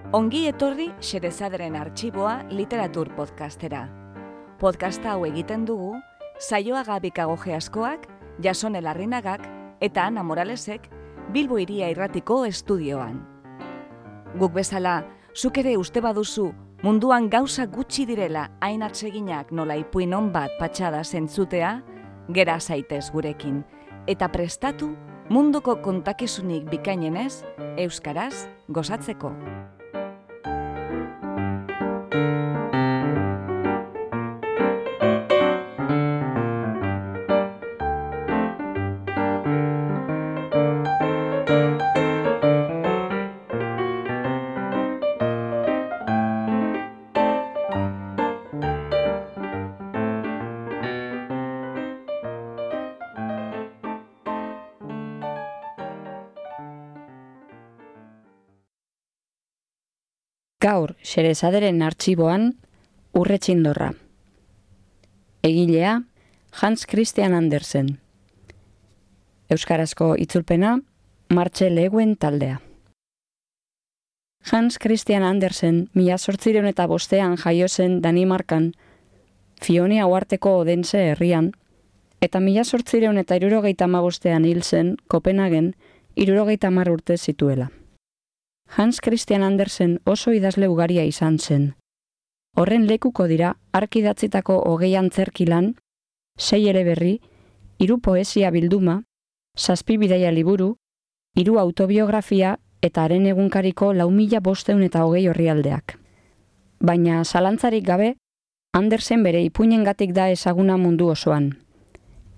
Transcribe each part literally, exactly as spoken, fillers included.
Ongi etorri Xerezaderen Artxiboa literatur podcastera. Podcasta hau egiten dugu Saioa Gabikagoge askoak, Jasone Larrinagak eta Ana Moralesek Bilbo Hiria Irratiko estudioan. Guk bezala, zuk ere uste baduzu munduan gauza gutxi direla hain atseginak nola ipuin on bat patxada zentzutea, gera zaitez gurekin, eta prestatu munduko kontakizunik bikainenez, euskaraz gozatzeko. Gaur, Xerezaderen Artxiboan, Urre Txindorra. Egilea, Hans Christian Andersen. Euskarazko itzulpena, Martxel Eguen taldea. Hans Christian Andersen, mila zortzireun eta bostean jaio zen Danimarkan, Fionia uharteko Odense herrian, eta mila zortzireun eta hirurogeita hamabostean hil zen Kopenhagen hirurogeita hamar urte zituela. Hans Christian Andersen oso idazle ugaria izan zen. Horren lekuko dira hark idatzitako hogei antzerki lan, sei eleberri, hiru poesia bilduma, zazpi bidaia liburu, hiru autobiografia eta haren egunkariko lau mila bosteun eta hogei orrialdeak. Baina zalantzarik gabe, Andersen bere ipuinengatik da ezaguna mundu osoan.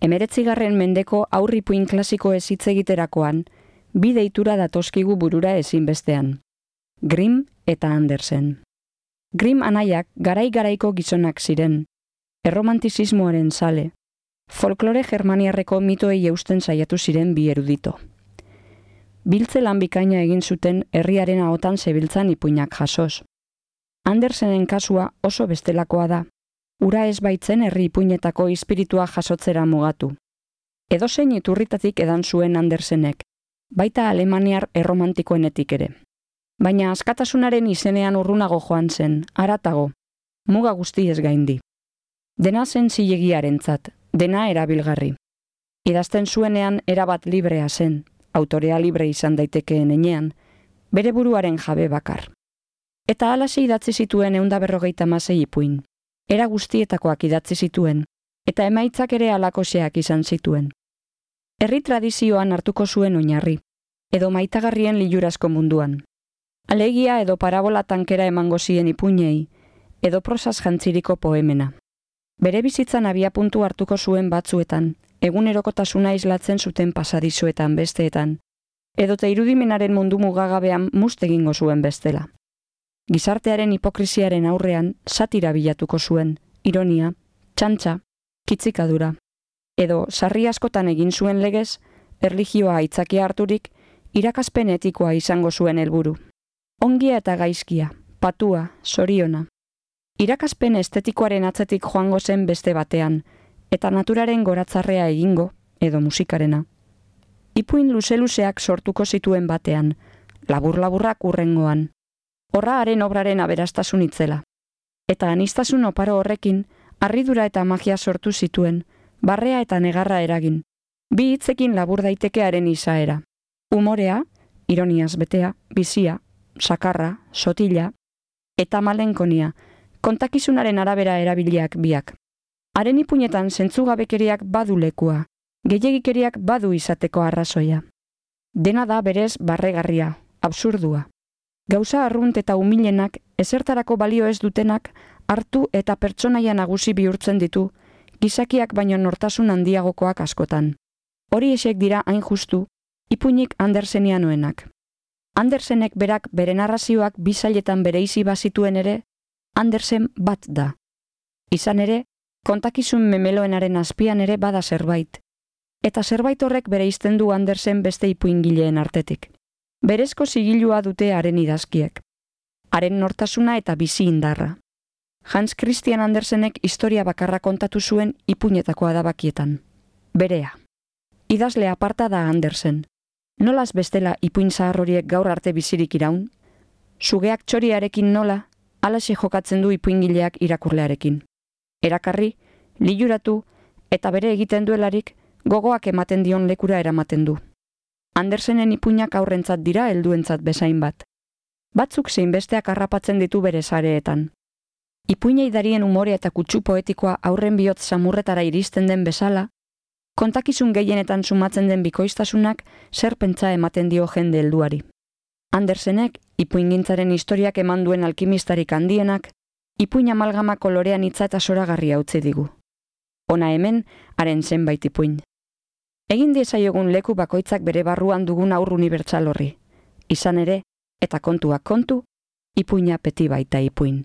Hemeretzigarren mendeko aurripuin klasiko ez hitz egiterakoan, bi deitura datozkigu burura ezinbestean. Grimm eta Andersen. Grimm anaiak garai-garaiko gizonak ziren, erromantizismoaren zale, folklore germaniarreko mitoei eusten saiatu ziren bi erudito. Biltze lan bikaina egin zuten herriaren ahotan zebiltzan ipuinak jasoz. Andersenen kasua oso bestelakoa da, ura ez baitzen herri ipuinetako espiritua jasotzera mugatu. Edozein iturritatik edan zuen Andersenek, baita alemaniar erromantikoenetik ere. Baina askatasunaren izenean urrunago joan zen, haratago, muga guztiez gaindi. Dena zen zilegiarentzat, dena erabilgarri. Idazten zuenean erabat librea zen, autorea libre izan daitekeen enean, bere buruaren jabe bakar. Eta halaxe idatzi zituen ehun eta berrogeita hamasei ipuin. Era guztietakoak idatzi zituen, eta emaitzak ere halakoxeak izan zituen. Herri tradizioan hartuko zuen oinarri, edo maitagarrien lilurazko munduan. Alegia edo parabola tankera emango zien ipuinei, edo prosaz jantziriko poemena. Bere bizitzan abiapuntu hartuko zuen batzuetan, egunerokotasuna islatzen zuten pasadizuetan besteetan, edote irudimenaren mundu mugagabean must egingo zuen bestela. Gizartearen hipokrisiaren aurrean satira bilatuko zuen, ironia, txantxa, kitzikadura. Edo sarri askotan egin zuen legez, erlijioa aitzakia harturik, irakaspen etikoa izango zuen helburu. Ongia eta gaizkia, patua, soriona. Irakaspen estetikoaren atzetik joango zen beste batean, eta naturaren goratzarrea egingo, edo musikarena. Ipuin luze-luzeak sortuko zituen batean, labur-laburrak urrengoan. Horra haren obraren aberastasun itzela. Eta anistasun oparo horrekin, harridura eta magia sortu zituen, barrea eta negarra eragin. Bi hitzekin labur daitekearen izaera. Umorea, ironiaz betea, bizia, sakarra, sotila, eta malenkonia, kontakizunaren arabera erabiliak biak. Haren ipuinetan zentzugabekeriak badu lekua, gehiegikeriak badu izateko arrazoia. Dena da berez barregarria, absurdua. Gauza arrunt eta umilenak, ezertarako balio ez dutenak, hartu eta pertsonaia nagusi bihurtzen ditu, gizakiak baino nortasun handiagokoak askotan. Hori esek dira hain justu, ipuinik Andersenianoenak. Andersenek berak bere narrazioak bizailetan bereizi bazituen ere, Andersen bat da. Izan ere, kontakizun memeloenaren azpian ere bada zerbait. Eta zerbait horrek bereizten du Andersen beste ipuingileen artetik. Berezko zigilua dute haren idazkiek. Haren nortasuna eta bizi indarra. Hans Christian Andersenek historia bakarra kontatu zuen ipuinetakoa da bakietan. Berea. Idazle aparta da Andersen. Nolaz bestela ipuin zahar horiek gaur arte bizirik iraun? sugeak txoriarekin nola, alaxe jokatzen du ipuingileak irakurlearekin. Erakarri, liluratu, eta bere egiten duelarik, gogoak ematen dion lekura eramaten du. Andersenen ipuinak aurrentzat dira helduentzat bezain bat. Batzuk zein besteak harrapatzen ditu bere sareetan. Ipuinei darien umorea eta kutsu poetikoa aurren bihotz samurretara iristen den bezala, kontakizun gehienetan sumatzen den bikoiztasunak zer pentsa ematen dio jende helduari. Andersenek, ipuingintzaren historiak eman duen alkimistarik handienak, ipuin amalgama kolorean hitza eta zoragarria utzi digu. Hona hemen, haren zenbait ipuin. Egin diezaiogun leku bakoitzak bere barruan dugun aur unibertsal horri. Izan ere, eta kontuak kontu, ipuina peti baita ipuin.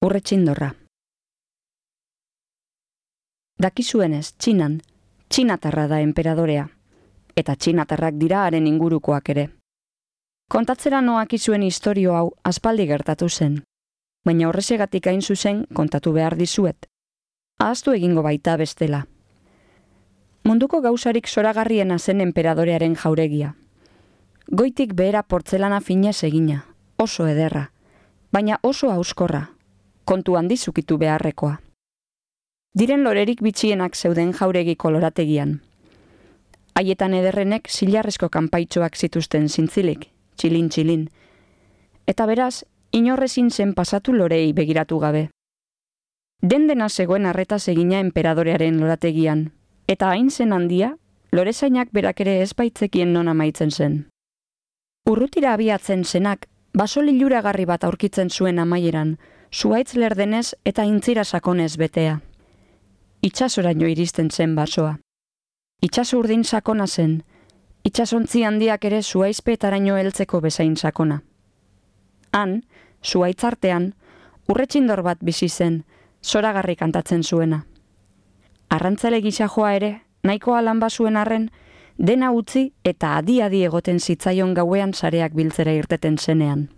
Urretxindorra. Dakizuenez, Txinan, txinatarra da enperadorea, eta txinatarrak dira haren ingurukoak ere. Kontatzera noakizuen istorio hau aspaldi gertatu zen, baina horrezegatik hain zuzen kontatu behar dizuet. Ahaztu egingo baita bestela. Munduko gauzarik zoragarriena zen enperadorearen jauregia. Goitik behera portzelana finez egina, oso ederra, baina oso auskorra, kontu handi zukitu beharrekoa. Diren lorerik bitxienak zeuden jauregi kolorategian. Haietan ederrenek zilarrezko kanpaitxoak zituzten zintzilik, txilin-txilin. Eta beraz, inorrezin zen pasatu lorei begiratu gabe. Den-dena zegoen arretaz egina enperadorearen lorategian, eta hain zen handia, lorezainak berak ere ez baitzekien non amaitzen zen. Urrutira abiatzen zenak, baso liluragarri bat aurkitzen zuen amaieran, zuaitz lerdenez eta intzira sakonez betea. Itxasoraino iristen zen basoa. Itxaso urdin sakona zen, itxasontzi handiak ere zuaizpeetaraino heltzeko bezain sakona. Han, zuaitzartean, urretxindor bat bizi zen, zoragarri kantatzen zuena. Arrantzale gisa joa ere, nahikoa lan bazuen arren, dena utzi eta adi-adi egoten zitzaion gauean sareak biltzera irteten zenean.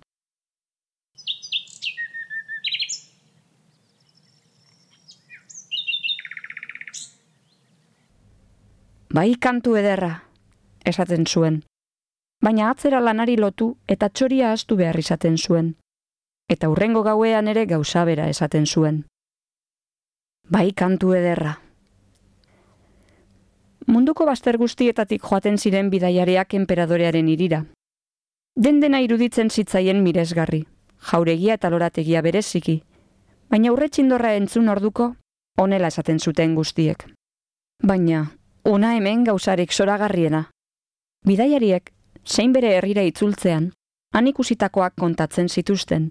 Bai kantu ederra, esaten zuen, baina atzera lanari lotu eta txoria ahaztu behar izaten zuen, eta hurrengo gauean ere gauza bera esaten zuen. Bai kantu ederra. Munduko bazter guztietatik joaten ziren bidaiariak enperadorearen irira. Den-dena iruditzen zitzaien miresgarri, jauregia eta lorategia bereziki, baina urretxindorra entzun orduko, honela esaten zuten guztiek. Baina, ona hemen gauzarik zoragarriena. Bidaiariek, zein bere herrira itzultzean, han ikusitakoak kontatzen zituzten,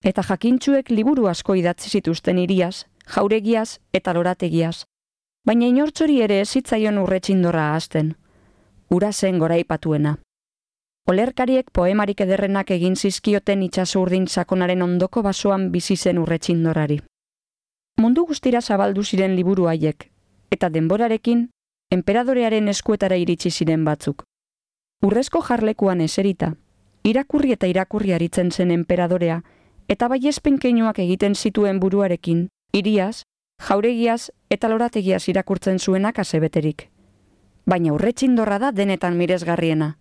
eta jakintsuek liburu asko idatzi zituzten iriaz, jauregiaz eta lorategiaz, baina inortxori ere ez zitzaion urretxindorra ahazten, ura zen goraipatuena. Olerkariek poemarik ederrenak egin zizkioten itxaso urdin sakonaren ondoko basoan bizi zen urretxindorrari. Mundu guztira zabaldu ziren liburu haiek, eta denborarekin, enperadorearen eskuetara iritsi ziren batzuk. Urrezko jarlekuan eserita, irakurri eta irakurri aritzen zen enperadorea, eta baiespen keinuak egiten zituen buruarekin, iriaz, jauregiaz eta lorategiaz irakurtzen zuenak asebeterik. Baina urretxindorra da denetan miresgarriena,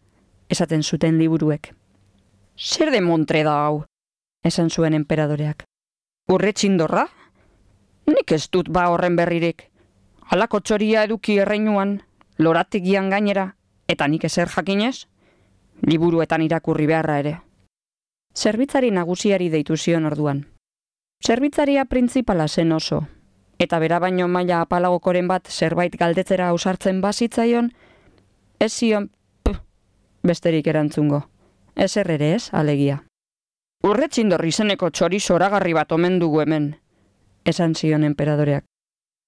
esaten zuten liburuek. Zer de montre da hau, esan zuen enperadoreak. Urretxindorra? Nik ez dut ba horren berririk. Halako txoria eduki erreinuan, lorategian gainera, eta nik ezer jakinez? Liburuetan irakurri beharra ere. Zerbitzari nagusiari deitu zion orduan. Zerbitzaria printzipala zen oso, eta bera baino maila apalagokoren bat zerbait galdetzera ausartzen bazitzaion, ez zion, puh, besterik erantzungo. Ezer ere ez, alegia. Urretxindor izeneko txori zoragarri bat omen dugu hemen, esan zion enperadoreak.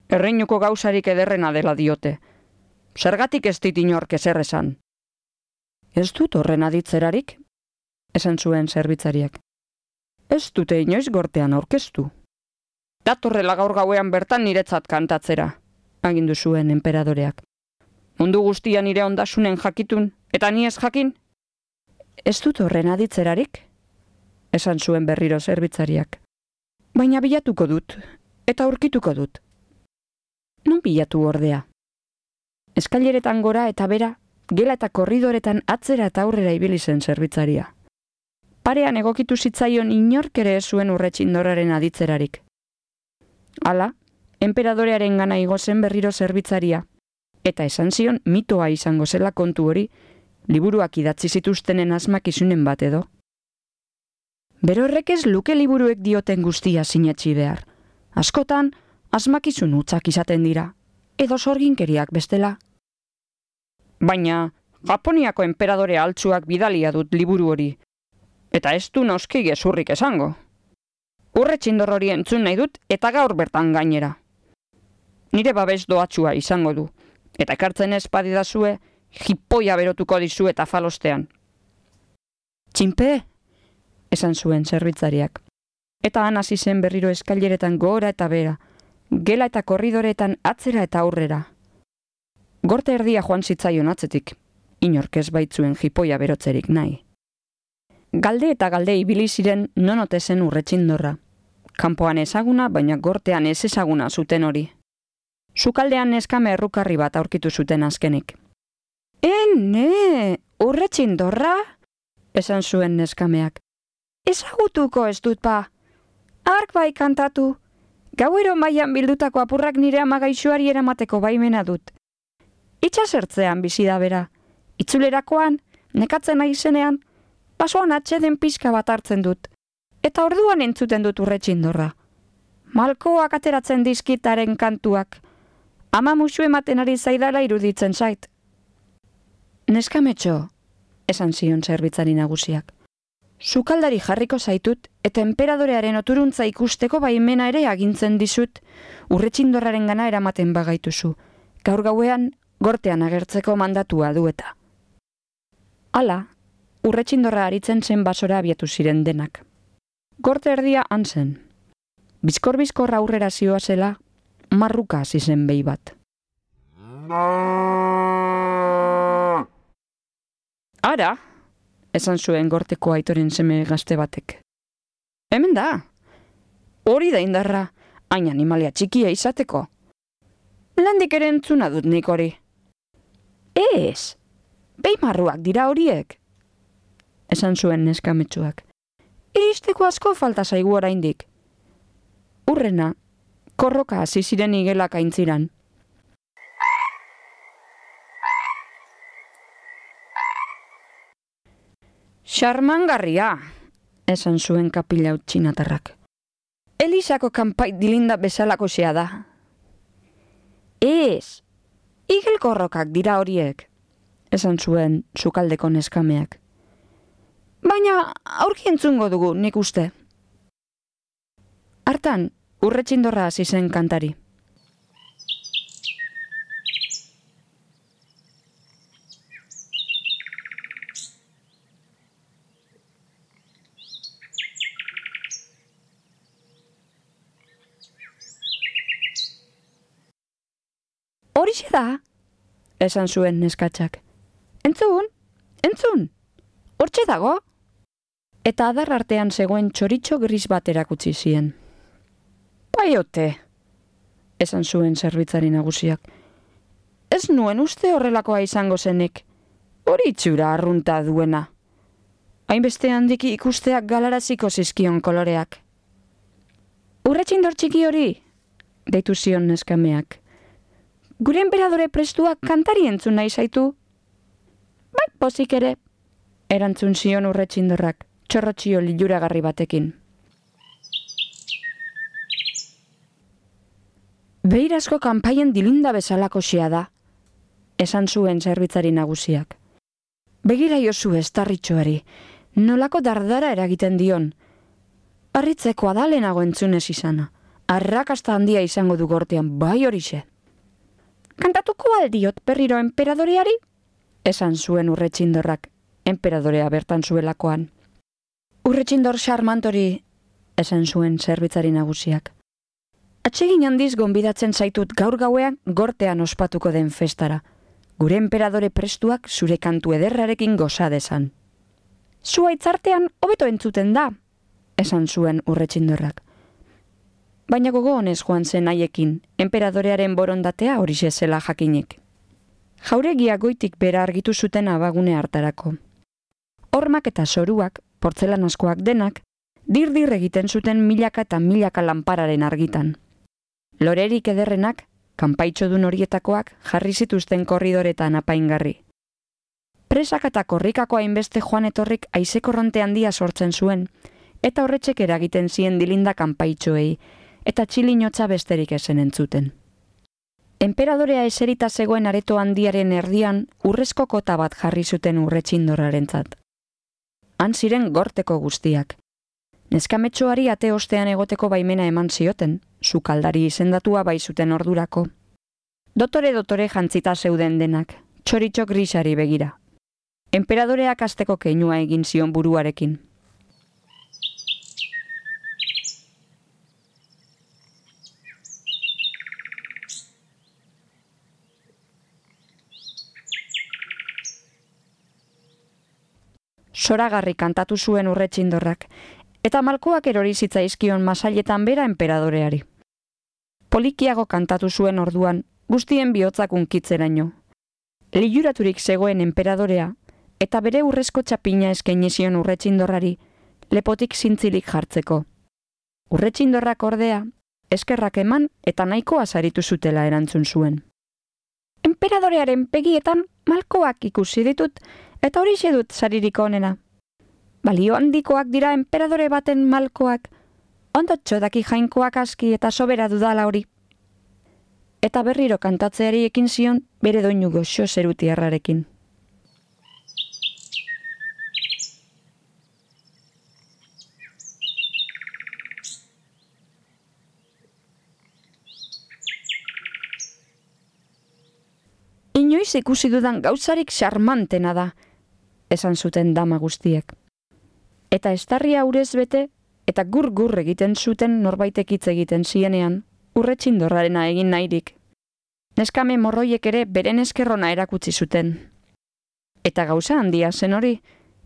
Erreinuko gauzarik ederrena dela diote. Zergatik ez dit inork ezer esan. Ez dut horren aditzerarik, esan zuen zerbitzariak. Ez dute inoiz gortean aurkeztu. Datorrela gaur gauean bertan niretzat kantatzera, agindu zuen enperadoreak. Mundu guztian nire ondasunen jakitun, eta ni ez jakin? Ez dut horren aditzerarik, esan zuen berriro zerbitzariak. Baina bilatuko dut, eta aurkituko dut. Non bilatu ordea? Eskaileretan gora eta bera, gela eta korridoretan atzera eta aurrera ibili zen zerbitzaria. Parean egokitu zitzaion inork ere ez zuen Urretxindorraren aditzerarik. Hala, enperadorearen gana igo zen berriro zerbitzaria, eta esan zion mitoa izango zela kontu hori, liburuak idatzi zituztenen asmakizunen bat edo. Bero horrek ez luke liburuek dioten guztia sinetsi behar. Askotan, asmakizun hutsak izaten dira, edo sorginkeriak bestela. Baina, Japoniako enperadore altzuak bidalia dut liburu hori, eta ez du noski gezurrik esango. Urretxindor hori entzun nahi dut eta gaur bertan gainera. Nire babes doatsua izango du, eta ekartzen ez badidazue, jipoia berotuko dizu eta falostean. Txinpe, esan zuen zerbitzariak, eta han hasi zen berriro eskaileretan gora eta bera, gela eta korridoretan atzera eta aurrera. Gorte erdia joan zitzaion atzetik, inork ez baitzuen jipoia berotzerik nahi. Galde eta galde ibili ziren non ote zen Urretxindorra. Kanpoan ezaguna, baina gortean ez ezaguna zuten hori. Sukaldean neskame errukarri bat aurkitu zuten azkenik. Ene, Urretxindorra? Esan zuen neskameak. Ezagutuko ez dut pa. Ark bai kantatu. Gauero mailan bildutako apurrak nire amagaixuari eramateko baimena dut. Itxasertzean bizi da bera. Itzulerakoan, nekatzen nahi zenean, basoan atxeden pixka bat hartzen dut. Eta orduan entzuten dut Urretxindorra. Malkoak ateratzen dizkitaren kantuak. Ama musu ematen ari zaidala iruditzen zait. Neskametxo, esan zion zerbitzari nagusiak. Sukaldari jarriko zaitut eta enperadorearen oturuntza ikusteko baimena ere agintzen dizut Urretxindorraren gana eramaten bagaituzu. Gaur gauean, gortean agertzeko mandatua du eta. Hala, Urretxindorra aritzen zen basora abiatu ziren denak. Gorte erdia han zen. Bizkor-bizkor aurrera zioazela, marruka hasi zen behi bat. Ara, esan zuen gorteko aitoren seme gazte batek. Hemen da. Hori da indarra, hain animalia txikia izateko. Landik ere entzuna dut nik hori. Ez, behi marruak dira horiek. Esan zuen neskametsuak. Iristeko asko falta zaigu oraindik. Urrena, korroka hasi ziren igelak aintziran. Xarmangarria, esan zuen kapila utxinatarrak. Elisako kanpai dilinda bezalako xea da. Ez, igel korrokak dira horiek, esan zuen sukaldeko neskameak. Baina aurki entzungo dugu nik uste. Hartan, Urretxindorra hasi zen kantari. Horixe da, esan zuen neskatxak. Entzun, entzun, hortxe dago. Eta adar artean zegoen txoritxo gris bat erakutsi zien. Baiote, esan zuen zerbitzari nagusiak. Ez nuen uste horrelakoa izango zenik. Hori itxura arrunta duena. Hainbeste handiki ikusteak galaraziko zizkion koloreak. Urretxindor txiki hori, deitu zion neskameak. Gure enperadore prestuak kantari entzun nahi zaitu? Bai, pozik ere, erantzun zion Urretxindorrak, txorrotxio liluragarri batekin. Beirazko kanpaien dilinda bezalako xea da, esan zuen zerbitzari nagusiak. Begira jozu estarritxoari, nolako dardara eragiten dion. Harritzekoa da lehenago entzunez izana, arrakasta handia izango du gortean, bai horixe. Kantatuko aldiot berriro enperadoreari? Esan zuen Urretxindorrak, enperadorea bertan zuelakoan. Urretxindor xarmantori, esan zuen zerbitzari nagusiak. Atsegin handiz gonbidatzen zaitut gaur gauean gortean ospatuko den festara. Gure enperadore prestuak zure kantu ederrarekin goza desan. Zua itzartean hobeto entzuten da, esan zuen Urretxindorrak. Baina gogo honez joan zen haiekin, enperadorearen borondatea horixe zela jakinik. jauregia goitik bera argitu zuten abagune hartarako. Hormak eta zoruak, portzelanazkoak denak, dir-dir egiten zuten milaka eta milaka lanpararen argitan. Lorerik ederrenak, kanpaitxodun horietakoak jarri zituzten korridoretan apaingarri. Presak eta korrikako hainbeste joan etorrik haizekorronte handia sortzen zuen, eta horretxek eragiten zien dilinda kanpaitxoei, eta txilinotza besterik esen entzuten. Enperadorea eserita zegoen areto handiaren erdian urrezko kota bat jarri zuten urretxindorrarentzat. Han ziren gorteko guztiak. Neskametxoari ate ostean egoteko baimena eman zioten, sukaldari izendatua bai zuten ordurako. Dotore-dotore jantzita zeuden denak, txoritxo grisari begira. Enperadoreak asteko keinua egin zion buruarekin. Zoragarri kantatu zuen urretxindorrak, eta malkoak erori zitzaizkion masailetan bera enperadoreari. Polikiago kantatu zuen orduan, guztien bihotzak unkitzeraino. Liluraturik zegoen enperadorea, eta bere urrezko txapina eskaini zion urretxindorrari, lepotik zintzilik jartzeko. Urretxindorrak ordea, eskerrak eman eta nahikoa saritu zutela erantzun zuen. Enperadorearen begietan malkoak ikusi ditut, eta horixe dut saririk onena. Balio handikoak dira enperadore baten malkoak, ondotxo daki jainkoak aski eta sobera dudala hori. Eta berriro kantatzeari ekin zion bere doinu goxo zerutiarrarekin. Inoiz ikusi dudan gauzarik xarmantena da, esan zuten dama guztiek. Eta estarria urez bete, eta gur-gur egiten zuten norbaitek hitz egiten zienean, urretxindorrarena egin nahirik. Neskame morroiek ere beren eskerrona erakutsi zuten. Eta gauza handia zen hori,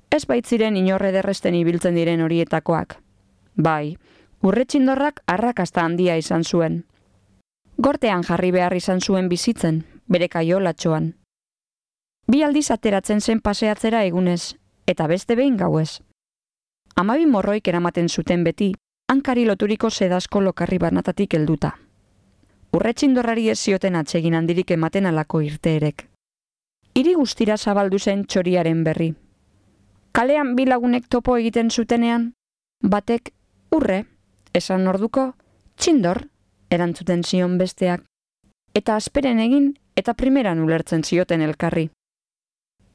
ez baitziren inorre derresten ibiltzen diren horietakoak. Bai, urretxindorrak arrakasta handia izan zuen. Gortean jarri behar izan zuen bizitzen, bere kaiolatxoan. Bi aldiz ateratzen zen paseatzera egunez, eta beste behin gauez. Hamabi morroik eramaten zuten beti, hankari loturiko sedazko lokarri banatatik helduta. Urretxindorrari ez zioten atsegin handirik ematen alako irteerek. Hiri guztira zabaldu zen txoriaren berri. Kalean bi lagunek topo egiten zutenean, batek urre, esan orduko, txindor, erantzuten zion besteak, eta asperen egin eta primeran ulertzen zioten elkarri.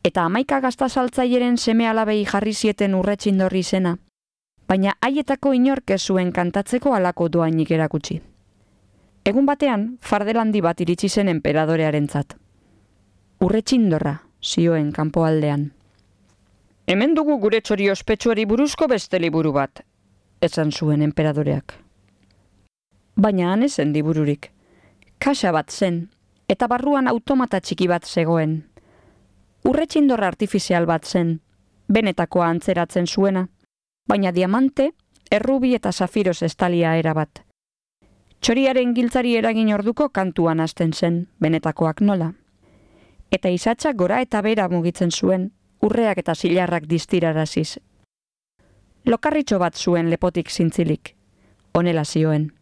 Eta hamaika gaztazaltzaieren seme alabei jarri zieten urretxindorri izena, baina haietako inork ez zuen kantatzeko halako doainik erakutsi. Egun batean, fardelandi bat iritsi zen enperadorearentzat. Urretxindorra, zioen kanpoaldean. Hemen dugu gure txori ospetsuari buruzko beste liburu bat, esan zuen enperadoreak. Baina han ezen libururik. Kaxa bat zen, eta barruan automata txiki bat zegoen. Urretxindorra artifizial bat zen, benetakoa antzeratzen zuena, baina diamante, errubi eta zafiroz estalia erabat. Txoriaren giltzari eragin orduko kantuan hasten zen, benetakoak nola. Eta izatxak gora eta bera mugitzen zuen, urreak eta zilarrak distiraraziz. Lokarritxo bat zuen lepotik zintzilik, honela zioen.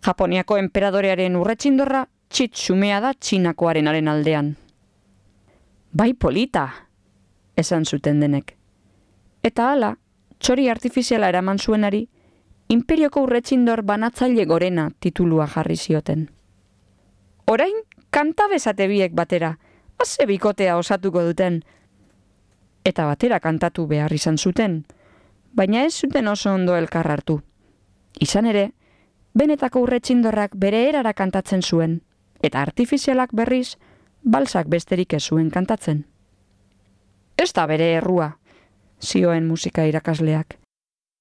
Japoniako enperadorearen urretxindorra txitsumea da txinakoarenaren aldean. Bai polita, esan zuten denek. Eta hala, txori artifiziala eraman zuenari, imperioko urretxindor banatzaile gorena titulua jarri zioten. Orain, kanta bezate biek batera, haze bikotea osatuko duten. Eta batera kantatu behar izan zuten, baina ez zuten oso ondo elkar hartu. Izan ere, benetako urretxindorrak bere erara kantatzen zuen, eta artifizialak berriz, balsak besterik ez zuen kantatzen. Ez da bere errua, zioen musika irakasleak.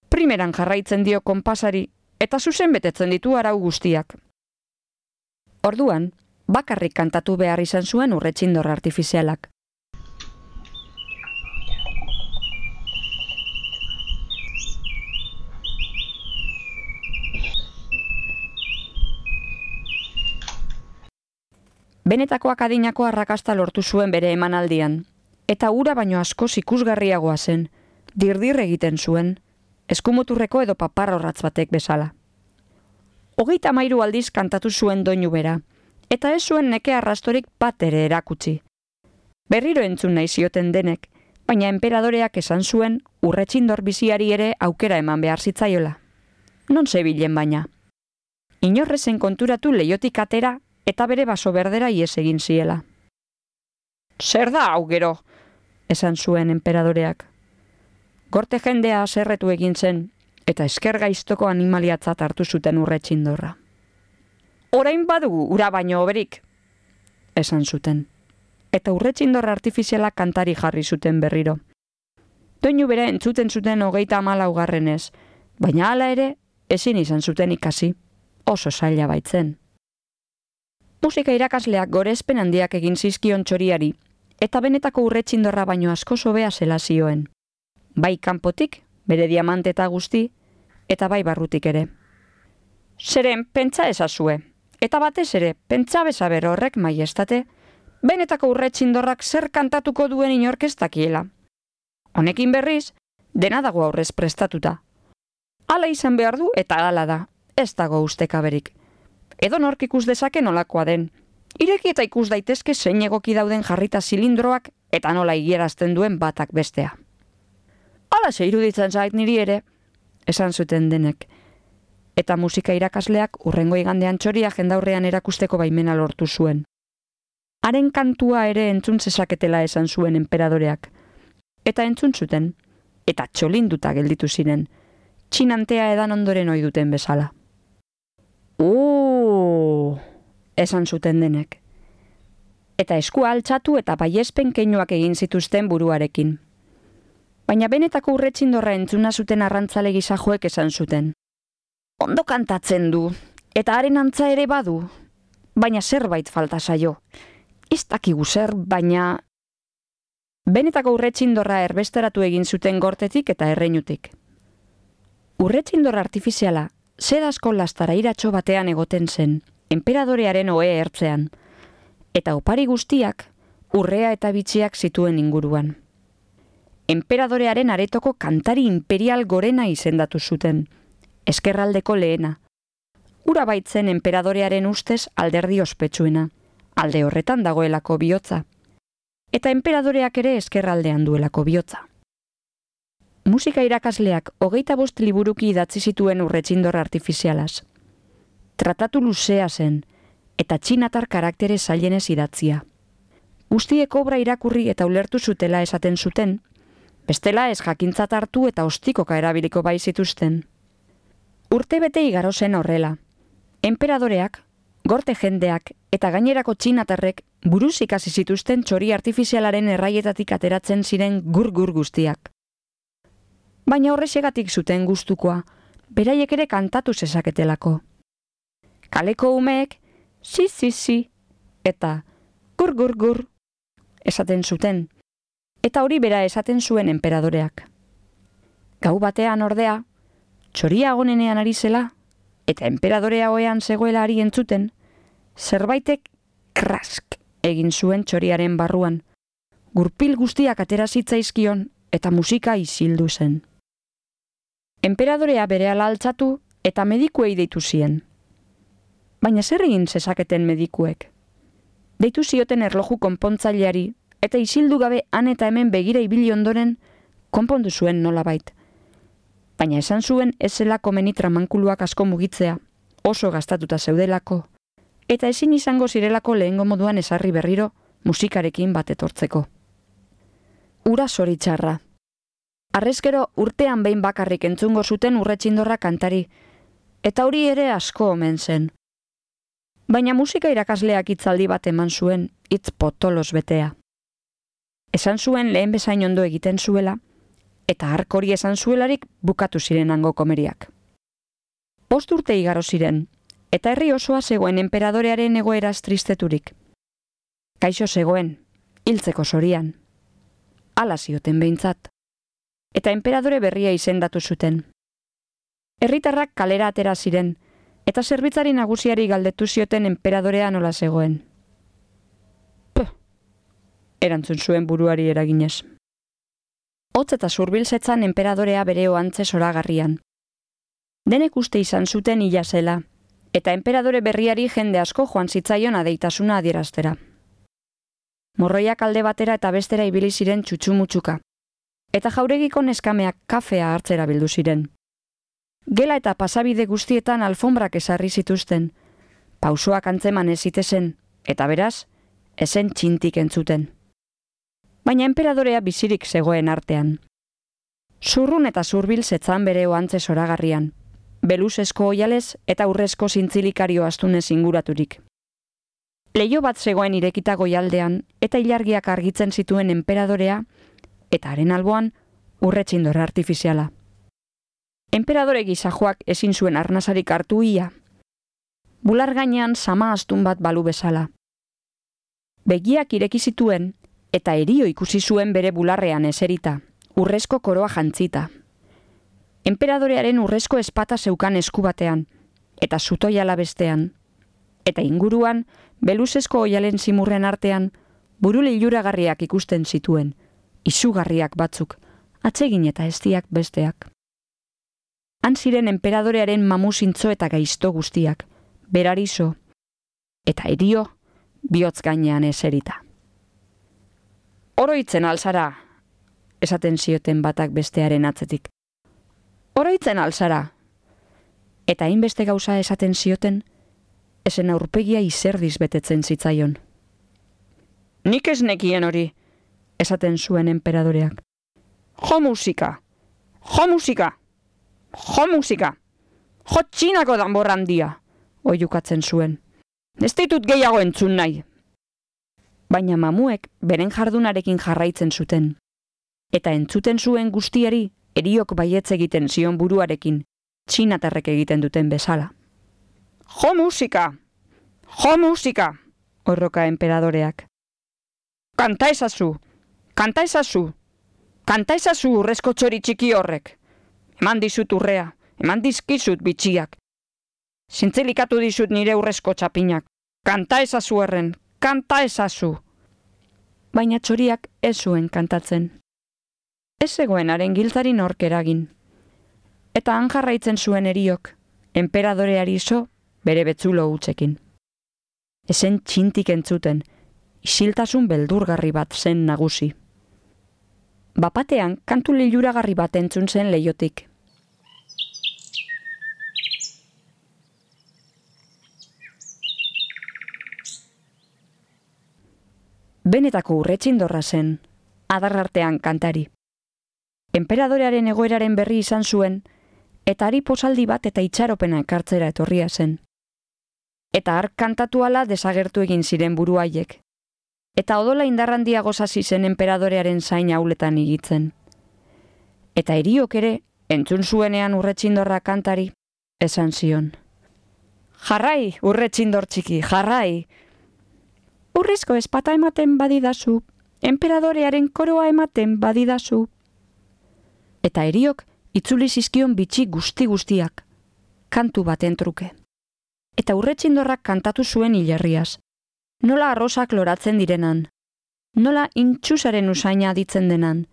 Primeran jarraitzen dio konpasari, eta zuzen betetzen ditu arau guztiak. Orduan, bakarrik kantatu behar izan zuen urretxindor artifizialak. benetako akadinako arrakasta lortu zuen bere emanaldian, eta ura baino askoz ikusgarriagoa zen, dirdir egiten zuen, eskumuturreko edo paparrorratz batek bezala. Hogeita hamairu aldiz kantatu zuen doinu bera, eta ez zuen neke arrastorik bat ere erakutsi. Berriro entzun nahi zioten denek, baina enperadoreak esan zuen urretxindor biziari ere aukera eman behar zitzaiola. Non zebilen baina. Inorrezen konturatu leiotik atera eta bere baso berdera ies egin ziela. Zer da hau gero, esan zuen enperadoreak. Gorte jendea haserretu egin zen, eta esker gaiztoko animaliatzat hartu zuten urretxindorra. Orain badugu ura baino hoberik, esan zuten, eta urretxindorra artifiziala kantari jarri zuten berriro. Doinu bere entzuten zuten hogeita hamalaugarrenez, baina hala ere ezin izan zuten ikasi, oso zaila baitzen. Musika irakasleak gorespen handiak egin zizkion txoriari, eta benetako urretxindorra baino asko hobea zela zioen. Bai kanpotik, bere diamante eta guzti, eta bai barrutik ere. Zeren, pentsa ezazue, eta batez ere, pentsa bezaber horrek maiestate, benetako urretxindorrak zer kantatuko duen inorkestakiela. Honekin berriz, dena dago aurrez prestatuta. Hala izan behar du eta hala da, ez dago ustekaberik. Edo nork ikus dezake nolakoa den. Ireki eta ikus daitezke zein egoki dauden jarrita zilindroak eta nola igierazten duen batak bestea. Hala ze iruditzen zait niri ere, esan zuten denek. Eta musika irakasleak urrengo igandean txoria jendaurrean erakusteko baimena lortu zuen. Haren kantua ere entzun zezaketela esan zuen enperadoreak. Eta entzun zuten, eta txolinduta gelditu ziren, txinantea edan ondoren ohi duten bezala. Uuuu, esan zuten denek. Eta eskua altxatu eta baiespen keinuak egin zituzten buruarekin. Baina benetako urretxindorra entzuna zuten arrantzale gizajoek esan zuten. Ondo kantatzen du, eta haren antza ere badu, baina zerbait falta zaio. Ez dakigu zer, baina... Benetako urretxindorra erbesteratu egin zuten gortetik eta erreinutik. Urretxindorra artifiziala, sedazko lastara iratxo batean egoten zen, enperadorearen ohe ertzean, eta opari guztiak urrea eta bitxiak zituen inguruan. Enperadorearen aretoko kantari imperial gorena izendatu zuten, eskerraldeko lehena. Ura baitzen enperadorearen ustez alderdi ospetsuena, alde horretan dagoelako bihotza, eta enperadoreak ere eskerraldean duelako bihotza. Musika irakasleak hogeita bost liburuki idatzi zituen urretxindor artifizialaz. Tratatu luzea zen, eta txinatar karaktere zailenez idatzia. Guztiek obra irakurri eta ulertu zutela esaten zuten, bestela ez jakintzat hartu eta ostikoka erabiliko bai zituzten. Urte bete igaro zen horrela. Enperadoreak, gorte jendeak eta gainerako txinatarrek buruz ikasi zituzten txori artifizialaren erraietatik ateratzen ziren gur-gur guztiak. Baina horrexegatik zuten gustukoa, beraiek ere kantatu zezaketelako. Kaleko umeek, si, si, si, eta gur-gur-gur esaten zuten, eta hori bera esaten zuen enperadoreak. Gau batean ordea, txoria agonenean ari zela, eta enperadorea oean zegoela ari entzuten, zerbaitek krask egin zuen txoriaren barruan, gurpil guztiak atera zitzaizkion eta musika isildu zen. Enperadorea berehala altzatu eta medikuei deitu zien. Baina zer egin zezaketen medikuek? Deitu zioten erloju konpontzaileari eta isildu gabe han eta hemen begira ibili ondoren konpondu zuen nolabait. Baina esan zuen ez zelako meni tramankuluak asko mugitzea, oso gastatuta zeudelako, eta ezin izango zirelako lehengo moduan ezarri berriro musikarekin bat etortzeko. Ura zoritxarra. Arrezkero urtean behin bakarrik entzungo zuten urretxindorra kantari, eta hori ere asko omen zen. Baina musika irakasleak hitzaldi bat eman zuen, hitz potolos betea. Esan zuen lehen bezain ondo egiten zuela, eta hark hori esan zuelarik bukatu ziren hango komeriak. Bost urte igaro ziren, eta herri osoa zegoen enperadorearen egoeraz tristeturik. Kaixo zegoen, hiltzeko zorian. Hala zioten behintzat. Eta enperadore berria izendatu zuten. Herritarrak kalera atera ziren, eta zerbitzari nagusiari galdetu zioten enperadorea nola zegoen. erantzun zuen buruari eraginez. Hotz eta zurbilzetzan enperadorea bere ohantze zoragarrian. Denek uste izan zuten hila zela, eta enperadore berriari jende asko joan zitzaion adeitasuna adieraztera. Morroiak alde batera eta bestera ibili ziren txutxumutxuka, eta jauregiko neskameak kafea hartzera bildu ziren. Gela eta pasabide guztietan alfombrak ezarri zituzten, pausoak antzeman ez zitezen, eta beraz, ezen txintik entzuten. Baina enperadorea bizirik zegoen artean. Zurrun eta zurbil zetzan bere ohantze zoragarrian, beluzezko oialez eta urrezko zintzilikario astunez inguraturik. Leiho bat zegoen irekita goialdean eta ilargiak argitzen zituen enperadorea eta haren alboan urretxindor artifiziala. Enperadore gizajoak ezin zuen arnasarik hartu ia. Bular gainean sama astun bat balu bezala. Begiak ireki zituen eta erio ikusi zuen bere bularrean eserita, urrezko koroa jantzita. Enperadorearen urrezko espata zeukan esku batean, eta zutoiala bestean, eta inguruan, beluzezko oialen zimurren artean, buru liluragarriak ikusten zituen, izugarriak batzuk, atsegin eta eztiak besteak. Han ziren enperadorearen mamuzintzo eta gaizto guztiak, berarizo, eta erio, bihotz gainean eserita. Oroitzen alzara, esaten zioten batak bestearen atzetik. Oroitzen alzara. Eta hainbeste gauza esaten zioten, esen aurpegia izerdiz betetzen zitzaion. Nik ez nekien hori, esaten zuen enperadoreak. Jo musika! Jo musika! Jo musika! Jo txinako danbor handia! Oiukatzen zuen. Ez ditut gehiago entzun nahi. Baina mamuek beren jardunarekin jarraitzen zuten. Eta entzuten zuen guztiari eriok baietz egiten zion buruarekin, txinatarrek egiten duten bezala. Jo musika! Jo musika! Orroka enperadoreak. Kanta ezazu! Kanta ezazu! Kanta ezazu urrezko txori txiki horrek! Eman dizut urrea, eman dizkizut bitxiak. Zintzelikatu dizut nire urrezko txapinak. Kanta ezazu erren, kanta ezazu! Baina txoriak ez zuen kantatzen. Ez zegoen haren giltzari nork eragin. Eta han jarraitzen zuen eriok, enperadoreari zo bere betzulo hutsekin. Ezen txintik entzuten, isiltasun beldurgarri bat zen nagusi. Bapatean kantu liluragarri bat entzun zen leiotik. Benetako urretxindorra zen, adarrartean kantari. Enperadorearen egoeraren berri izan zuen, eta hari posaldi bat eta itxaropena ekartzera etorria zen. Eta hark kantatu ala desagertu egin ziren buruaiek. Eta odola indarrandia gozasi zen enperadorearen zain hauletan igitzen. Eta eriok ere, entzun zuenean urretxindorra kantari, esan zion. Jarrai, urretxindor txiki, jarrai! Urrezko espata ematen badidazu, enperadorearen koroa ematen badidazu. Eta eriok itzuli zizkion bitxi guzti-guztiak, kantu baten truke. Eta urretxindorrak kantatu zuen hilerriaz. Nola arrosak loratzen direnan, nola intxusaren usaina aditzen denan,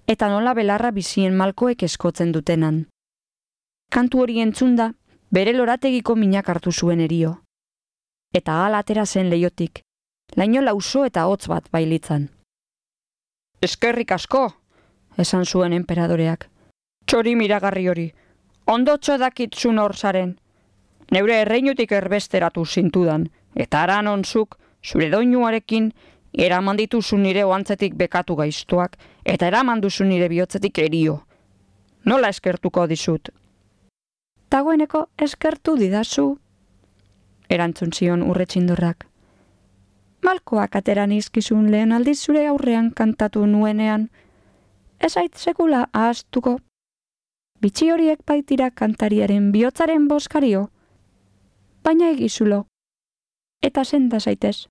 eta nola belarra bizien malkoek eskotzen dutenan. Kantu hori entzunda, bere lorategiko minak hartu zuen erio. Eta hala atera zen leiotik, laino lauso eta hotz bat bailitzan. Eskerrik asko, esan zuen enperadoreak. Txori miragarri hori, ondotxo dakitzun hor zaren. Neure erreinutik erbesteratu zintudan, eta aran onzuk, zure doinuarekin, eraman dituzu nire oantzetik bekatu gaiztuak, eta eraman duzu nire bihotzetik erio. Nola eskertuko dizut? Dagoeneko eskertu didazu, erantzun zion urretxindorrak. Malkoak ateran izkizun lehen aldiz zure aurrean kantatu nuenean, ez ait sekula ahaztuko. Bitxi horiek baitira kantariaren bihotzaren boskario, baina egizulo. Eta senda zaitez,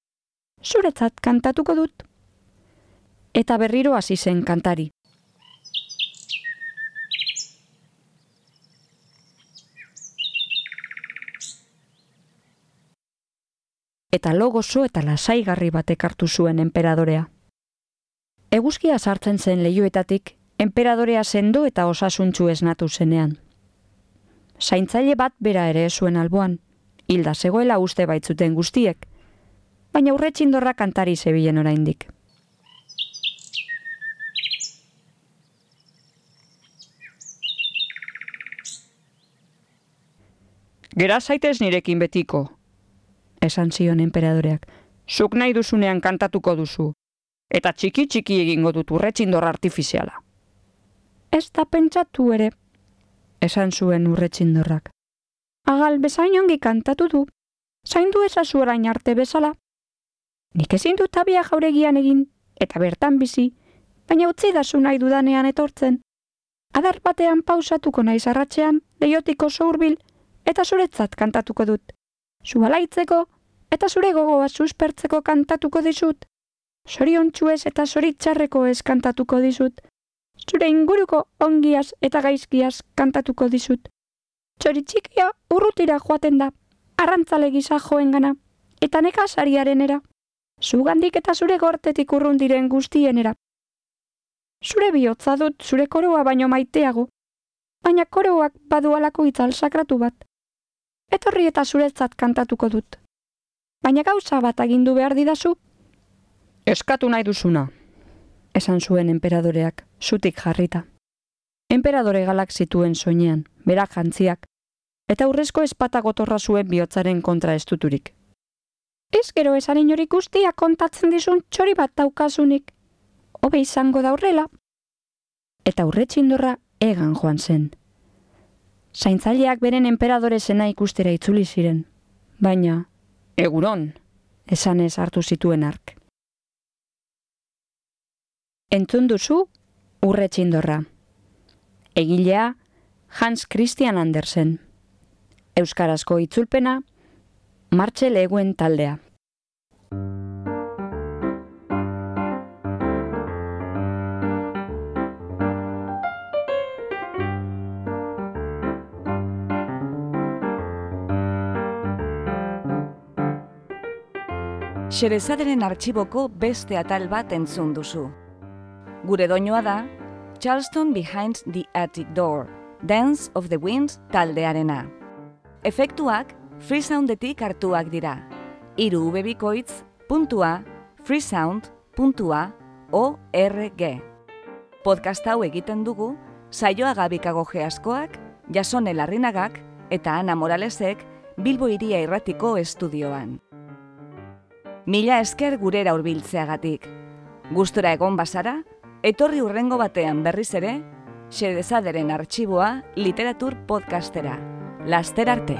zuretzat kantatuko dut. Eta berriro hasi zen kantari. Eta lo gozo eta lasaigarri batek hartu zuen enperadorea. Eguzkia sartzen zen leihoetatik, enperadorea sendo eta osasuntsu esnatu zenean. Zaintzaile bat bera ere zuen alboan, hilda zegoela uste baitzuten guztiek, baina urretxindorra kantari zebilen oraindik. Gera zaitez nirekin betiko, esan zion enperadoreak. Zuk nahi duzunean kantatuko duzu, eta txiki-txiki egingo dut urretxindor artifiziala. Ez da pentsatu ere, esan zuen urretxindorrak. Agal bezain ongi kantatu du, zaindu ezazu orain arte bezala. Nik ezin dut abia jauregian egin, eta bertan bizi, baina utzi dazu nahi dudanean etortzen. Adar batean pausatuko naiz arratsean, leihotik oso hurbil, eta zuretzat kantatuko dut. Zu alaitzeko, eta zure gogoa suspertzeko kantatuko dizut. Zoriontsuez eta zoritxarreko ez kantatuko dizut. Zure inguruko ongiaz eta gaizkiaz kantatuko dizut. Txoritxikia urrutira joaten da, arrantzale gisa joengana, eta nekazariarenera. Zugandik eta zure gortetik urrun diren guztienera. Zure bihotza dut zure koroa baino maiteago, baina koroak badu alako itzal sakratu bat. Etorri eta zuretzat kantatuko dut. Baina gauza bat agindu behar didazu. Eskatu nahi duzuna, esan zuen enperadoreak, zutik jarrita. Enperadore galak zituen soinean, berak jantziak, eta urrezko espata gotorra zuen bihotzaren kontra estuturik. Ez gero esan inorik guztia kontatzen dizun txori bat daukasunik. Hobe izango da horrela. Eta urretxindorra egan joan zen. Zaintzaileak beren enperadore zena ikustera itzuli ziren, baina eguron, esanez hartu zituen ark. Entzun duzu urretxindorra. Egilea Hans Christian Andersen. Euskarazko itzulpena Martxel Eguen taldea. Xerezaderen artxiboko beste atal bat entzun duzu. Gure doinoa da Charleston Behind the Attic Door, Dance of the Winds taldearena. Efektuak freesoundetik hartuak dira. Hiru ubebikoitz puntua freesound puntua org. Podcast hau egiten dugu Saioa Gabikagoge askoak, Jasone Larrinagak eta Ana Moralesek Bilbo Hiria Irratiko estudioan. Mila esker gurera hurbiltzeagatik. Gustora egon bazara, etorri hurrengo batean berriz ere, Xerezaderen artxiboa literatur podcastera. Laster arte!